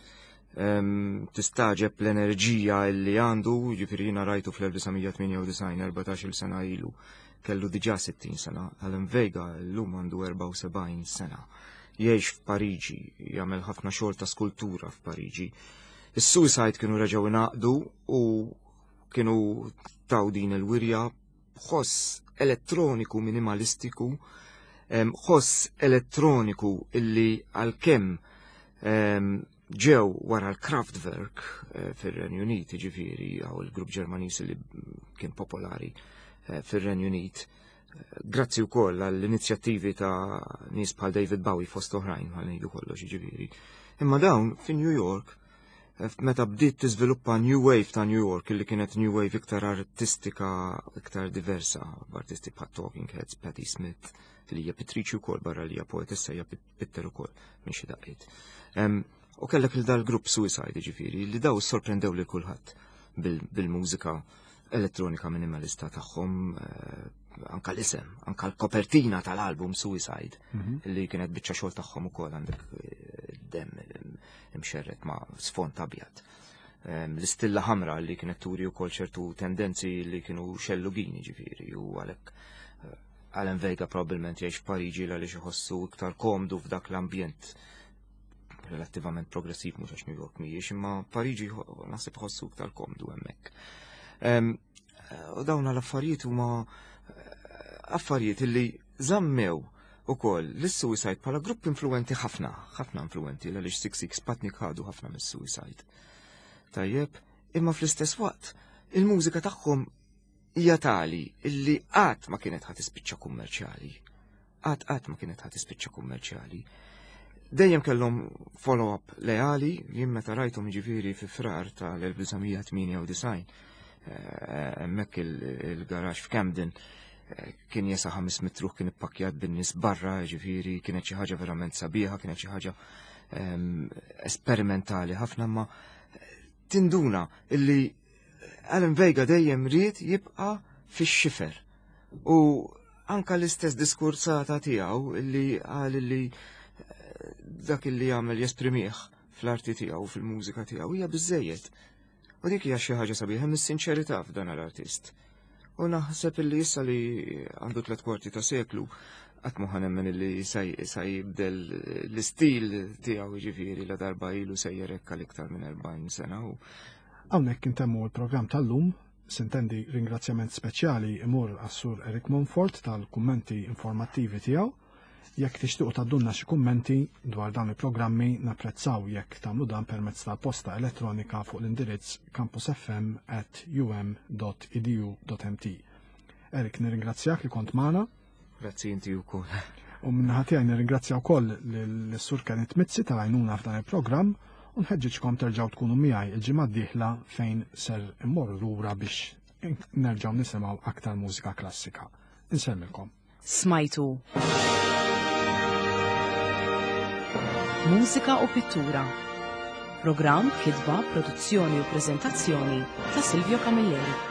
C: tistaġeb l-enerġija li għandu, ġifieri jiena rajtu fl-1998, 14-il sena ilu, kellu diġà 60 sena, Alan Vega llum għandu 74 sena. Jgħix f'Pariġi, jagħmel ħafna xogħol ta' skultura f'Pariġi. Is-Suicide kienu reġgħu ingħaqdu u kienu taw din il-wirja ħoss elettroniku minimalistiku, ħoss elettroniku illi għalkemm ġew wara l-Kraftwerk eh, fir-Renju Unit, ġifieri għaw il-grupp Ġermaniż li kien popolari eh, fir-Renju Unit. Eh, grazzi wkoll għall-inizjattivi ta' nies bħal David Bowie fost oħrajn għal ngħidu kollox ġifieri. Imma dawn fi New York meta bdiet tiżviluppa New Wave ta' New York li kienet New Wave iktar artistika, iktar diversa, b'artisti bħal Talking Heads, Patti Smith, li hija pittriċi wkoll barra li hija poetessa hija pitter ukoll minn xi daqqiet. U kellek il dal-grupp Suicide ġifieri li daw sorprendew lil kulħadd bil-mużika elettronika minimalista tagħhom eh, anka l-isem, anka l-kopertina tal-album Suicide mhm. li kienet biċċa xogħol tagħhom ukoll għandek eh, dem imxerret ma' sfond abjad. L-istilla ħamra li kienet turi wkoll ċertu tendenzi li kienu xellugini ġifieri u għalhekk eh, Alan Vega probabbilment jgħix f'Pariġi għaliex iħossu iktar komdu f'dak l-ambjent relattivament progressiv mhux għax New York mhijiex, imma Pariġi naħseb iħossu iktar komdu hemmhekk. U dawn l-affarijiet huma eh, affarijiet li żammew ukoll lis-Suicide bħala grupp influenti ħafna, ħafna influenti għaliex Six Six Patnik ħadu ħafna mis-Suicide. Tajjeb, imma fl-istess waqt il-mużika tagħhom hija tali illi qatt ma kienet ħa tispiċċa kummerċjali. Qatt qatt ma kienet ħa tispiċċa kummerċjali. Dejjem kellhom follow-up leali, jien meta rajthom ġifieri fi frar tal-1998 eh, hemmhekk il-garax f'Camden eh, kien jesa 500 ruħ kien ippakkjat bin-nies barra, ġifieri kienet xi ħaġa verament sabiħa, kienet xi ħaġa ehm, esperimentali ħafna ma tinduna illi Alan Vega dejjem ried jibqa' fix-xifer. U anka l-istess diskursata tiegħu li qal li eh, dak li jagħmel jesprimih fl-arti tiegħu fil-mużika tiegħu hija biżejjed. U dik hija xi ħaġa sabiħa mis-sinċerità f'dan l-artist. U naħseb illi issa li għandu tliet kwarti ta' seklu qatt ma nemmen illi sa jibdel l-istil tiegħu jiġifieri la darba ilu sejjer hekk għal iktar minn 40 sena.
B: Hawnhekk intemmu l-programm tal-lum, sintendi ringrazzjament speċjali imur għas-Sur Eric Monfort tal-kummenti informattivi tiegħu. Jekk tixtiequ tgħaddulna xi kummenti dwar dawn il-programmi napprezzaw jekk tagħmlu dan permezz tal-posta elettronika fuq l-indirizz campusfm@um.edu.mt. Eric, nirringrazzjak li kont magħna.
C: Grazzi inti wkoll.
B: U minnaħa tiegħi nirringrazzja wkoll lis-Sur Kenneth Mizzi tal-għajnuna f'dan il-programm u nħeġġiġkom terġgħu tkunu miegħi il-ġimgħa d-dieħla fejn ser immorru lura biex nerġgħu nisimgħu aktar mużika klassika. Insellmilkom.
A: Smajtu. Mużika u Pittura. Programm, kitba, produzzjoni u preżentazzjoni ta' Silvio Camilleri.